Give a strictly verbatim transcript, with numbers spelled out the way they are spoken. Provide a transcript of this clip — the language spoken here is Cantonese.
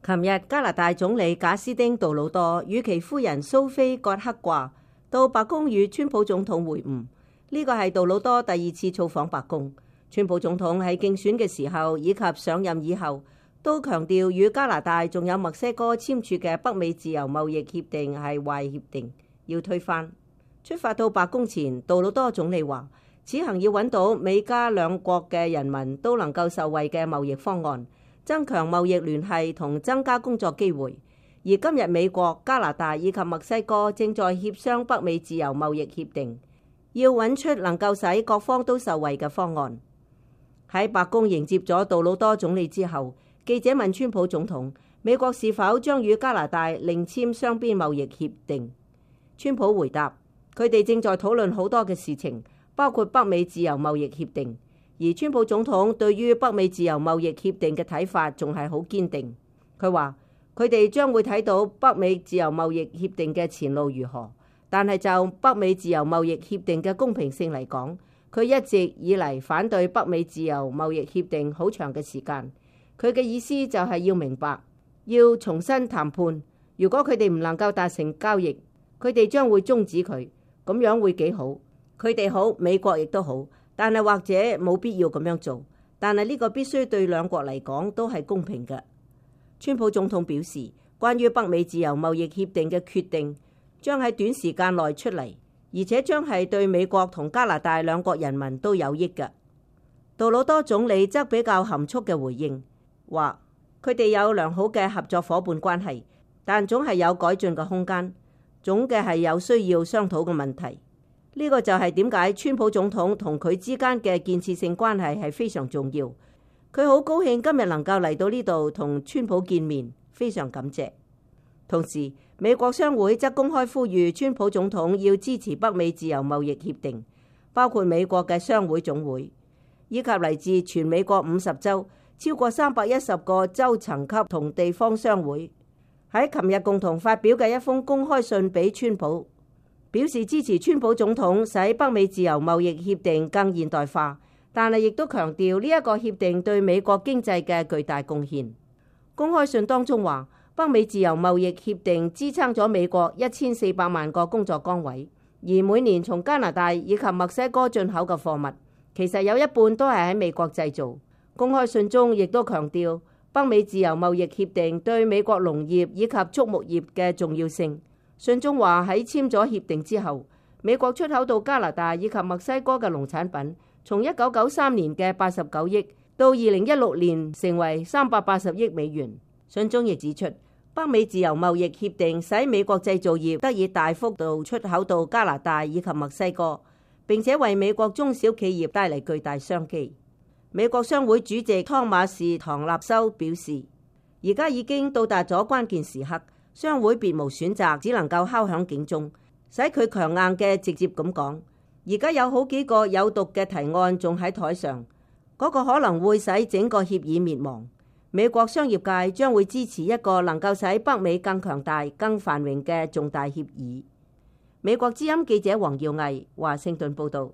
琴日加拿大總理賈斯汀·杜魯多與其夫人蘇菲·葛克掛到白宮與川普總統會晤，呢個係杜魯多第二次造訪白宮。川普總統喺競選嘅時候以及上任以後，都強調與加拿大仲有墨西哥簽署嘅北美自由貿易協定係壞協定，要推翻。出發到白宮前，杜魯多總理話，此行要揾到美加兩國嘅人民都能夠受惠嘅貿易方案，增強貿易聯繫同增加工作機會。而今日美國、加拿大以及墨西哥正在協商北美自由貿易協定，要揾出能夠使各方都受惠嘅方案。喺白宮迎接咗杜魯多總理之後，記者問川普總統，美國是否將與加拿大另簽雙邊貿易協定？川普回答，佢哋正在討論好多嘅事情，包括北美自由貿易協定。而川普總統對於北美自由貿易協定嘅睇法仲係好堅定。佢話佢哋將會睇到北美自由貿易協定嘅前路如何，但係就北美自由貿易協定嘅公平性嚟講，佢一直以嚟反對北美自由貿易協定好長嘅時間。佢嘅意思就係要明白，要重新談判。如果佢哋唔能夠達成交易，佢哋將會終止佢，咁樣會幾好。佢哋好，美國亦都好。但係或者冇必要咁樣做，但係呢個必須對兩國嚟講都係公平嘅。川普總統表示，關於北美自由貿易協定嘅決定將喺短時間內出嚟，而且將係對美國同加拿大兩國人民都有益嘅。杜魯多總理則比較含蓄嘅回應，話佢哋有良好嘅合作夥伴關係，但總係有改進嘅空間，總嘅係有需要商討嘅問題。呢個就係點解川普總統同佢之間嘅建設性關係係非常重要。佢好高興今日能夠嚟到呢度同川普見面，非常感謝。同時，美國商會則公開呼籲川普總統要支持北美自由貿易協定，包括美國嘅商會總會，以及嚟自全美國五十州超過三百一十個州層級同地方商會，喺琴日共同發表嘅一封公開信俾川普，表示支持川普總統使北美自由貿易協定更現代化，但係亦都強調呢一個協定對美國經濟嘅巨大貢獻。公開信當中話，北美自由貿易協定支撐咗美國一千四百萬個工作崗位，而每年從加拿大以及墨西哥進口嘅貨物，其實有一半都係喺美國製造。公開信中亦都強調北美自由貿易協定對美國農業以及畜牧業嘅重要性。信中話喺簽咗協定之後，美國出口到加拿大以及墨西哥嘅農產品，從一九九三年嘅八十九億到二零一六年成為三百八十億美元。信中亦指出，北美自由貿易協定使美國製造業得以大幅度出口到加拿大以及墨西哥，並且為美國中小企業帶嚟巨大商機。美國商會主席湯馬士唐納修表示，而家已經到達咗關鍵時刻。商會別無選擇，只能夠敲響警鐘，使佢強硬嘅直接咁講。而家有好幾個有毒嘅提案仲喺台上，嗰個可能會使整個協議滅亡。美國商業界將會支持一個能夠使北美更強大、更繁榮嘅重大協議。美國之音記者黃耀毅華盛頓報道。